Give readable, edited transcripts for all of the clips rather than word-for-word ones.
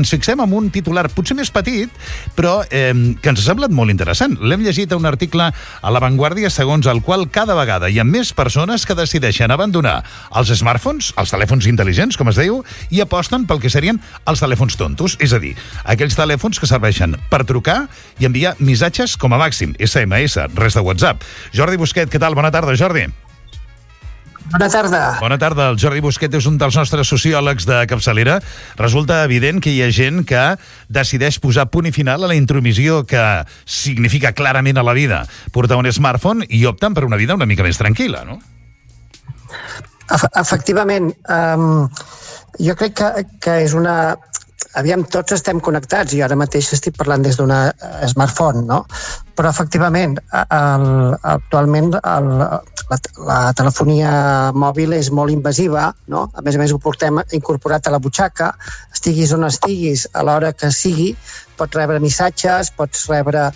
Ens fixem en un titular potser més petit, però que ens ha semblat molt interessant. L'hem llegit a un article a La Vanguardia segons el qual cada vegada hi ha més persones que decideixen abandonar els smartphones, els telèfons intel·ligents, com es diu, i aposten pel que serien els telèfons tontos, és a dir, aquells telèfons que serveixen per trucar i enviar missatges com a màxim, SMS, res de WhatsApp. Jordi Busquet, què tal? Bona tarda, Jordi. Bona tarda. Bona tarda. El Jordi Busquet és un dels nostres sociòlegs de capçalera. Resulta evident que hi ha gent que decideix posar punt i final a la intromissió que significa clarament a la vida portar un smartphone i opten per una vida una mica més tranquil·la, no? Efectivament. Jo crec que és una... Aviam, tots estem connectats i ara mateix estic parlant des d'una smartphone, no? Però efectivament, actualment la telefonia mòbil és molt invasiva, no? A més ho portem incorporat a la butxaca, estiguis on estiguis, a l'hora que sigui, pots rebre missatges, pots rebre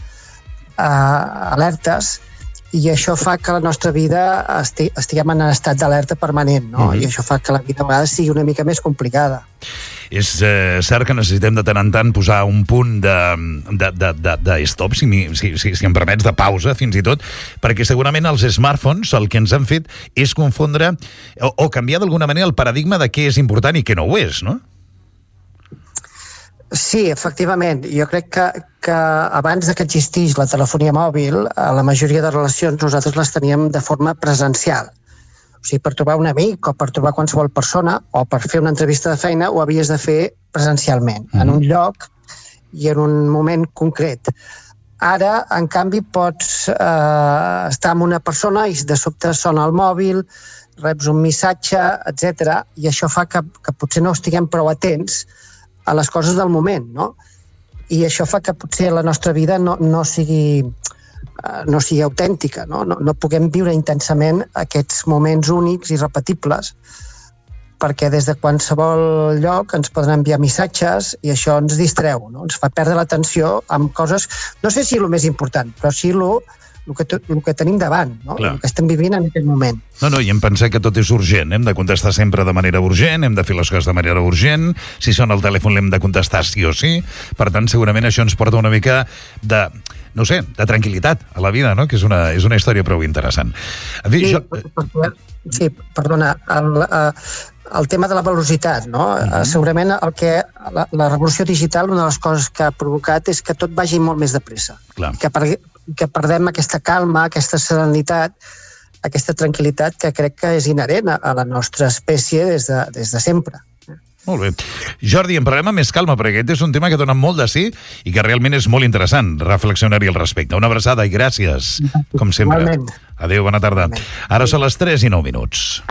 alertes, i això fa que la nostra vida estiguem en estat d'alerta permanent, no? I això fa que la vida a vegades sigui una mica més complicada. És cert que necessitem de tant en tant posar un punt de stop, si em permets, de pausa, fins i tot, perquè segurament els smartphones el que ens han fet és confondre o canviar d'alguna manera el paradigma de què és important i què no ho és, no? Sí, efectivament. Jo crec que abans que existís la telefonia mòbil, a la majoria de relacions nosaltres les teníem de forma presencial. O sigui, per trobar un amic o per trobar qualsevol persona o per fer una entrevista de feina ho havies de fer presencialment, en un lloc i en un moment concret. Ara, en canvi, pots estar amb una persona i de sobte sona el mòbil, reps un missatge, etc. I això fa que potser no estiguem prou atents a les coses del moment, no? I això fa que potser la nostra vida no sigui autèntica, no? No puguem viure intensament aquests moments únics i repetibles, perquè des de qualsevol lloc ens poden enviar missatges i això ens distreu, no? Ens fa perdre l'atenció amb coses, no sé si el més important, però sí el que tenim davant, no? El que estem vivint en aquest moment. No, i hem pensat que tot és urgent, hem de contestar sempre de manera urgent, hem de fer les coses de manera urgent, si sona el telèfon l'hem de contestar sí o sí, per tant segurament això ens porta una mica de tranquil·litat a la vida, no? Que és una història prou interessant. Sí, perdona, el tema de la velocitat, no? Segurament la revolució digital, una de les coses que ha provocat és que tot vagi molt més de pressa, que perdem aquesta calma, aquesta serenitat, aquesta tranquil·litat que crec que és inherent a la nostra espècie des de sempre. Molt bé. Jordi, en parlem amb més calma, perquè aquest és un tema que dona molt de sí i que realment és molt interessant reflexionar-hi al respecte. Una abraçada i gràcies, com sempre. Igualment. Adéu, bona tarda. Ara són les 3:09.